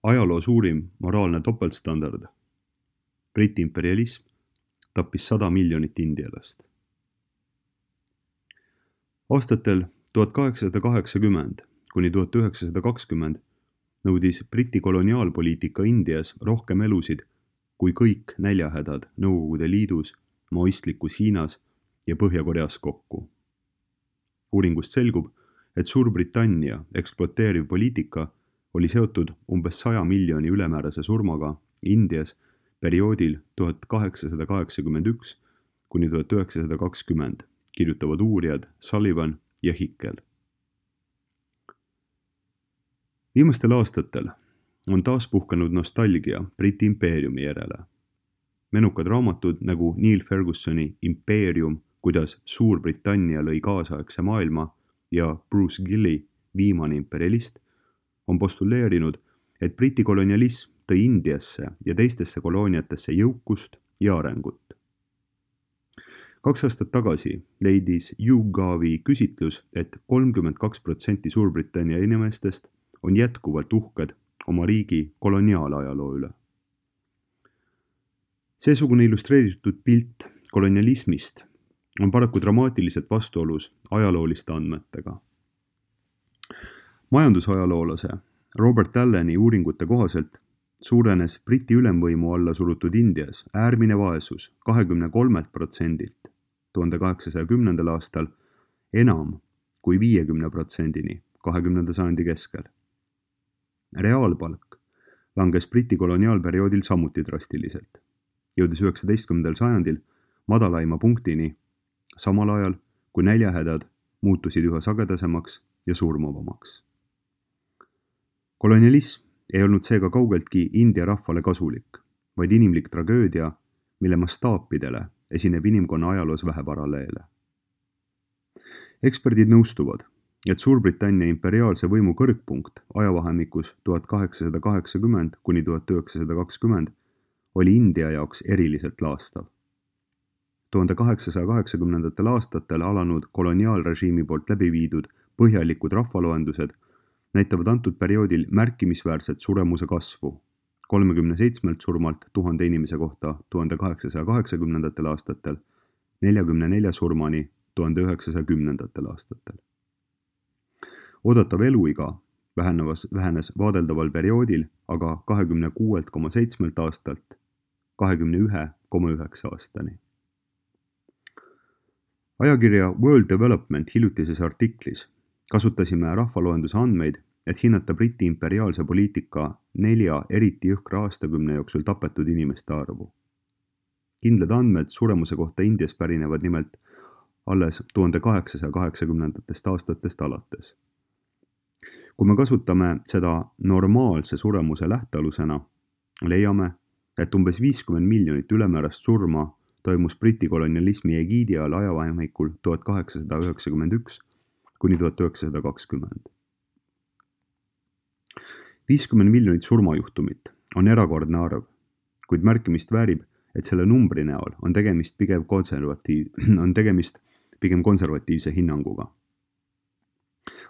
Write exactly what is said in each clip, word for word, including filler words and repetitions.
Ajaloo suurim moraalne topeltstandard. Briti imperialism tappis sada miljonit indialast. Aastatel tuhat kaheksasada kaheksakümmend kuni tuhat üheksasada kakskümmend nõudis Briti koloniaalpoliitika Indias rohkem elusid kui kõik näljahädad Nõukogude Liidus, maoistlikus Hiinas ja Põhja-Koreas kokku. Uuringust selgub, et Suurbritannia ekspluateeriv poliitika oli seotud umbes saja miljoni ülemäärase surmaga Indias perioodil tuhat kaheksasada kaheksakümmend üks kuni tuhat üheksasada kakskümmend, kirjutavad uurijad Sullivan ja Hickel. Viimastel aastatel on taas puhkenud nostalgia Briti impeeriumi järele. Menukad raamatud nagu Neil Fergusoni Impeerium, kuidas Suurbritannia lõi kaasaegse maailma ja Bruce Gilli Viimane imperialist on postuleerinud, et Briti kolonialism tõi Indiasse ja teistesse kolooniatesse jõukust ja arengut. Kaks aastat tagasi leidis YouGovi küsitlus, et kolmkümmend kaks protsenti Suurbritannia inimestest on jätkuvalt uhked oma riigi koloniaalajaloo üle. Seesugune illustreeritud pilt kolonialismist on paraku dramaatiliselt vastuolus ajalooliste andmetega. Majandusajaloolase Robert Alleni uuringute kohaselt suurenes Briti ülemvõimu alla surutud Indias äärmine vaesus kahekümne kolmelt protsendilt tuhande kaheksasaja kümnendal aastal enam kui viiekümne protsendini kahekümnenda sajandi keskel. Reaalpalk langes Briti koloniaalperioodil samuti drastiliselt, jõudes üheksateistkümnendal sajandil madalaima punktini, samal ajal kui näljahädad muutusid üha sagedasemaks ja surmavamaks. Kolonialism ei olnud seega kaugeltki India rahvale kasulik, vaid inimlik tragöödia, mille mastaapidele esineb inimkonna ajaloos vähe paralleele. Eksperdid nõustuvad, et Suurbritannia imperiaalse võimu kõrgpunkt ajavahemikus tuhat kaheksasada kaheksakümmend kuni tuhat üheksasada kakskümmend oli India jaoks eriliselt laastav. tuhande kaheksasaja kaheksakümnendatel aastatel alanud koloniaalrežiimi poolt läbi viidud põhjalikud rahvaloendused näitavad antud perioodil märkimisväärset suremuse kasvu, kolmekümne seitsmelt surmalt tuhande inimese kohta tuhande kaheksasaja kaheksakümnendatel aastatel, neljakümne nelja surmani tuhande üheksasaja kümnendatel aastatel. Oodatav eluiga vähenes, vähenes vaadeldaval perioodil aga kahekümne kuuelt koma seitsmelt aastalt kahekümne ühe koma üheksa aastani. Ajakirja World Development hiljutises artiklis kasutasime rahvaloenduse andmeid, et hinnata Briti imperiaalse poliitika nelja eriti jõhkra aastakümne jooksul tapetud inimeste arvu. Kindlad andmed suremuse kohta Indias pärinevad nimelt alles tuhande kaheksasaja kaheksakümnendatest aastatest alates. Kui me kasutame seda normaalse suremuse lähtealusena, leiame, et umbes viiskümmend miljonit ülemäärast surma toimus Briti kolonialismi egiidi all ajavahemikul tuhat kaheksasada üheksakümmend üks kuni tuhat üheksasada kakskümmend. viiskümmend miljonit surmajuhtumit on erakordne arv, kuid märkimist väärib, et selle numbri näol on tegemist pigem konservatiiv, on tegemist pigem konservatiivse hinnanguga.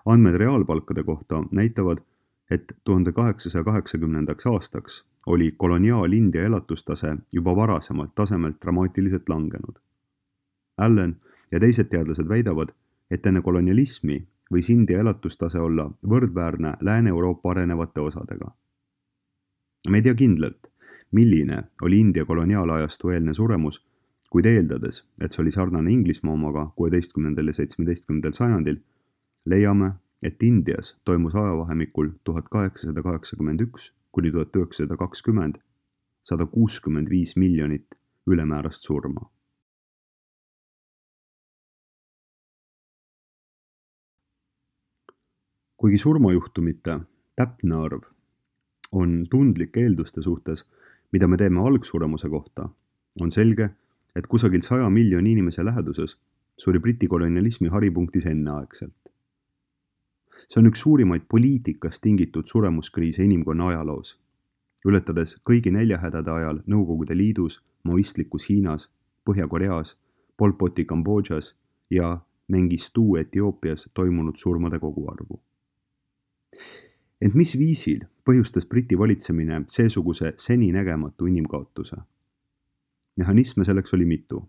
Andmed reaalpalkade kohta näitavad, et tuhande kaheksasaja kaheksakümnendaks aastaks oli koloniaal-India elatustase juba varasemalt tasemelt dramaatiliselt langenud. Allen ja teised teadlased väidavad, et enne kolonialismi võis India elatustase olla võrdväärne Lääne-Euroopa arenevate osadega. Me ei tea kindlalt, milline oli India koloniaalajastu eelne suremus, kuid eeldades, et see oli sarnane Inglismaa omaga kuueteistkümnendal ja seitsmeteistkümnendal sajandil, leiame, et Indias toimus ajavahemikul tuhat kaheksasada kaheksakümmend üks kuni tuhat üheksasada kakskümmend sada kuuskümmend viis miljonit ülemäärast surma. Kuigi surmajuhtumite täpne arv on tundlike eelduste suhtes, mida me teeme algsuremuse kohta, on selge, et kusagil saja miljoni inimese läheduses suri Briti kolonialismi haripunktis enneaegselt. See on üks suurimaid poliitikast tingitud suremuskriise inimkonna ajaloos, ületades kõigi näljahädade ajal Nõukogude Liidus, maoistlikus Hiinas, Põhja-Koreas, Pol Poti Kambodžas ja Mengistu Etioopias toimunud surmade koguarvu. Ent mis viisil põhjustas Briti valitsemine seesuguse seninägematu inimkaotuse? Mehhanisme selleks oli mitu.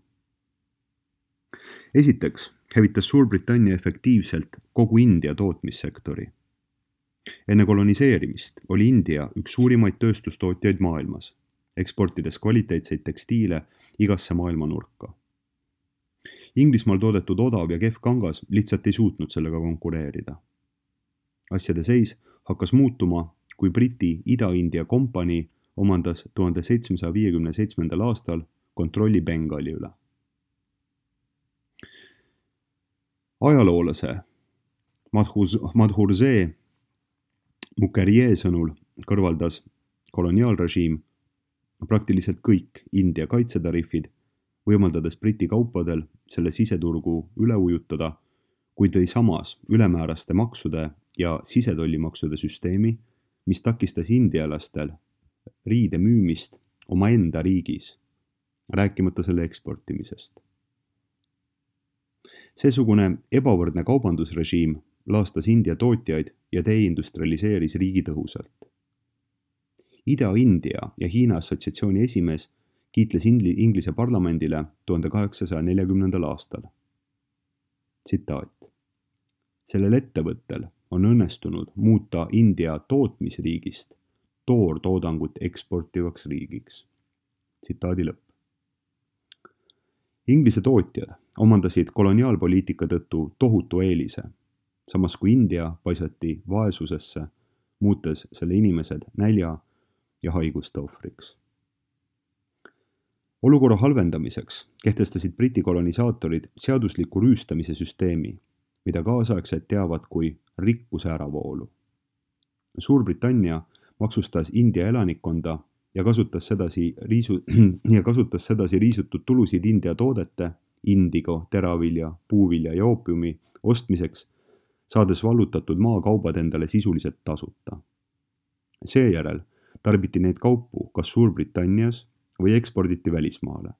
Esiteks hävitas Suurbritannia efektiivselt kogu India tootmissektori. Enne koloniseerimist oli India üks suurimaid tööstustootjaid maailmas, eksportides kvaliteetseid tekstiile igasse maailma nurka. Inglismaal toodetud odav ja kehv kangas lihtsalt ei suutnud sellega konkureerida. Asjade seis hakkas muutuma, kui Briti Ida-India kompanii omandas tuhande seitsmesaja viiekümne seitsmendal aastal kontrolli Bengali üle. Ajaloolase Madhurzee Mukherjee sõnul kõrvaldas koloniaalrežiim praktiliselt kõik India kaitsetariifid, võimaldades Briti kaupadel selle siseturgu üle ujutada, kui tõi samas ülemääraste maksude ja sisetollimaksude süsteemi, mis takistas indialastel riide müümist omaenda riigis, rääkimata selle eksportimisest. Seesugune ebavõrdne kaubandusrežiim laastas India tootjaid ja deindustrialiseeris riigi tõhusalt. Ida-India ja Hiina assotsiatsiooni esimees kiitles Inglise parlamendile tuhande kaheksasaja neljakümnendal aastal. Tsitaat. Sellel ettevõttel on õnnestunud muuta India tootmisriigist toortoodangut eksportivaks riigiks. Tsitaadi lõpp. Inglise tootjad omandasid koloniaalpoliitika tõttu tohutu eelise, samas kui India paisati vaesusesse, muutes selle inimesed nälja ja haiguste ohvriks. Olukorra halvendamiseks kehtestasid Briti kolonisaatorid seadusliku rüüstamise süsteemi, mida kaasaegsed teavad kui rikkuse äravoolu. Suurbritannia maksustas India elanikkonda ja kasutas sedasi, riisu, ja kasutas sedasi riisutud tulusid India toodete, indigo, teravilja, puuvilja ja oopiumi ostmiseks, saades vallutatud maakaubad endale sisuliselt tasuta. Seejärel tarbiti neid kaupu kas Suurbritannias või eksporditi välismaale,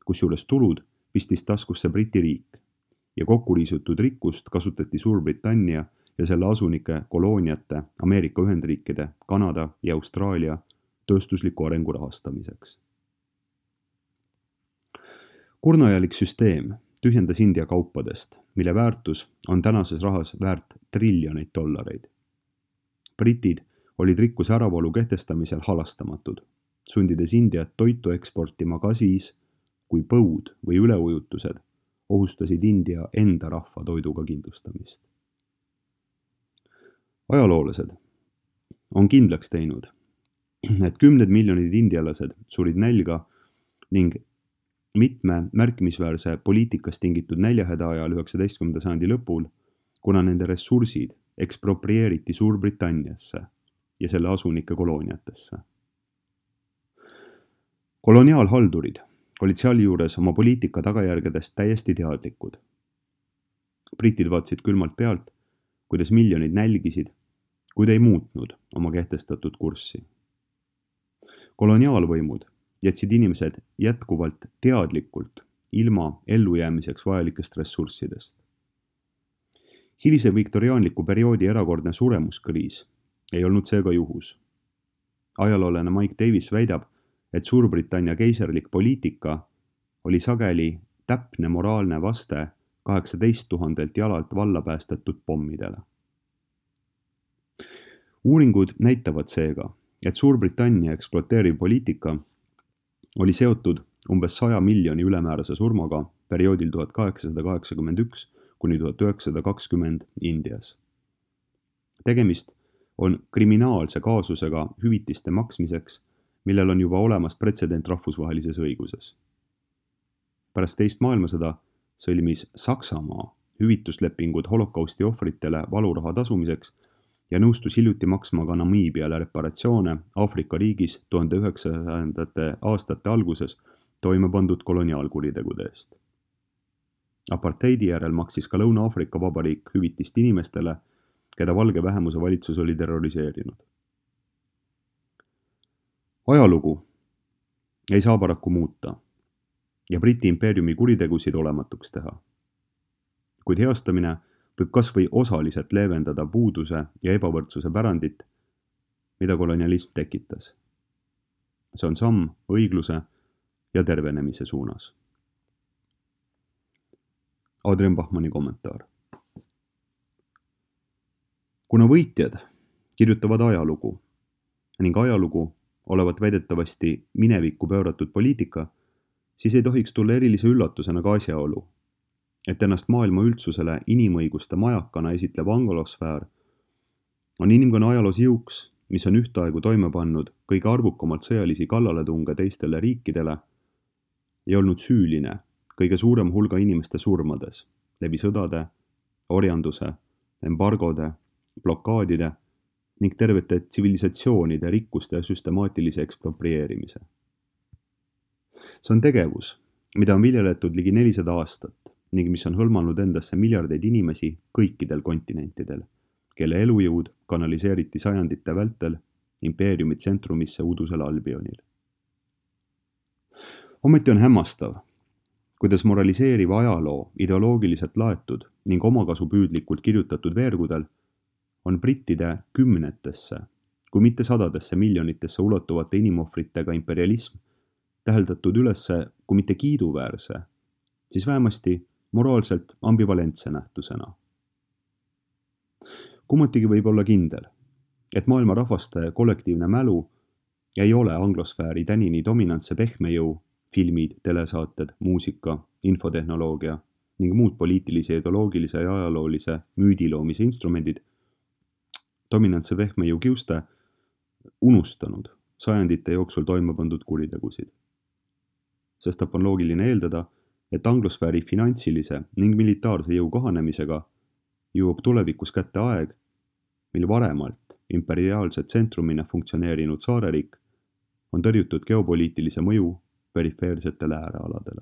kusjuures tulud pistis taskusse Briti riik ja kokkuriisutud rikkust kasutati Suurbritannia ja selle asunike kolooniate Ameerika Ühendriikide, Kanada ja Austraalia tööstusliku arengu rahastamiseks. Kurnajalik süsteem tühjendas India kaupadest, mille väärtus on tänases rahas väärt triljoneid dollareid. Britid olid rikkuse äravoolu kehtestamisel halastamatud, sundides Indiat toitu eksportima ka siis, kui põud või üleujutused ohustasid India enda rahva toiduga kindlustamist. Ajaloolased on kindlaks teinud, et kümned miljonid indialased surid nälga ning mitme märkimisväärse poliitikast tingitud näljahäda ajal üheksateistkümnenda sajandi lõpul, kuna nende ressursid eksproprieeriti Suurbritanniasse ja selle asunike kolooniatesse. Koloniaalhaldurid olid sealjuures oma poliitika tagajärgedest täiesti teadlikud. Britid vaatasid külmalt pealt, kuidas miljonid nälgisid, kuid ei muutnud oma kehtestatud kurssi. Koloniaalvõimud jätsid inimesed jätkuvalt teadlikult ilma ellujäämiseks vajalikest ressurssidest. Hilise viktoriaanliku perioodi erakordne suremuskriis ei olnud seega juhus. Ajaloolane Mike Davis väidab, et Suurbritannia keiserlik poliitika oli sageli täpne moraalne vaste kaheksateist tuhandelt jalalt valla päästetud pommidele. Uuringud näitavad seega, et Suurbritannia ekspluateeriv poliitika oli seotud umbes saja miljoni ülemäärase surmaga perioodil tuhat kaheksasada kaheksakümmend üks kuni tuhat üheksasada kakskümmend Indias. Tegemist on kriminaalse kaasusega hüvitiste maksmiseks, millel on juba olemas pretsedent rahvusvahelises õiguses. Pärast teist maailmasõda sõlmis Saksamaa hüvituslepingud holokausti ohvritele valuraha tasumiseks ja nõustus hiljuti maksma ka Namiibiale reparatsioone Aafrika riigis tuhande üheksasajandate aastate alguses toime pandud koloniaalkuritegude eest. Apartheidi järel maksis ka Lõuna-Aafrika Vabariik hüvitist inimestele, keda valge vähemuse valitsus oli terroriseerinud. Ajalugu ei saa paraku muuta ja Briti impeeriumi kuritegusid olematuks teha. Kuid heastamine võib kas või osaliselt leevendada puuduse ja ebavõrdsuse pärandit, mida kolonialism tekitas. See on samm õigluse ja tervenemise suunas. Adrian Bachmanni kommentaar. Kuna võitjad kirjutavad ajalugu ning ajalugu olevat väidetavasti minevikku pööratud poliitika, siis ei tohiks tulla erilise üllatusena ka asjaolu, et ennast maailma üldsusele inimõiguste majakana esitlev anglosfäär on inimkonna ajaloos jõuks, mis on ühtaegu toime pannud kõige arvukamalt sõjalisi kallaletunge teistele riikidele ja olnud süüline kõige suurem hulga inimeste surmades läbi sõdade, orjanduse, embargode, blokaadide ning tervete tsivilisatsioonide rikkuste süstemaatilise eksproprieerimise. See on tegevus, mida on viljeletud ligi nelisada aastat ning mis on hõlmanud endasse miljardeid inimesi kõikidel kontinentidel, kelle elujõud kanaliseeriti sajandite vältel impeeriumi tsentrumisse udusel Albionil. Ometi on hämmastav, kuidas moraliseeriva ajaloo ideoloogiliselt laetud ning omakasupüüdlikult kirjutatud veergudel on brittide kümnetesse, kui mitte sadadesse miljonitesse ulatuvate inimohvritega imperialism täheldatud ülesse, kui mitte kiiduväärse, siis vähemasti moraalselt ambivalentse nähtusena. Kummatigi võib olla kindel, et maailma rahvaste kollektiivne mälu ei ole anglosfääri tänini dominantse pehmejõu, filmid, telesaated, muusika, infotehnoloogia ning muud poliitilise, ideoloogilise ja ajaloolise müüdiloomise instrumendid dominantse pehmejõu kiuste unustanud sajandite jooksul toime pandud kuritegusid. Sestap on loogiline eeldada, et anglosfääri finantsilise ning militaarse jõu kahanemisega jõuab tulevikus kätte aeg, mil varemalt imperiaalse tsentrumina funktsioneerinud saareriik on tõrjutud geopoliitilise mõju perifeersetele äärealadele.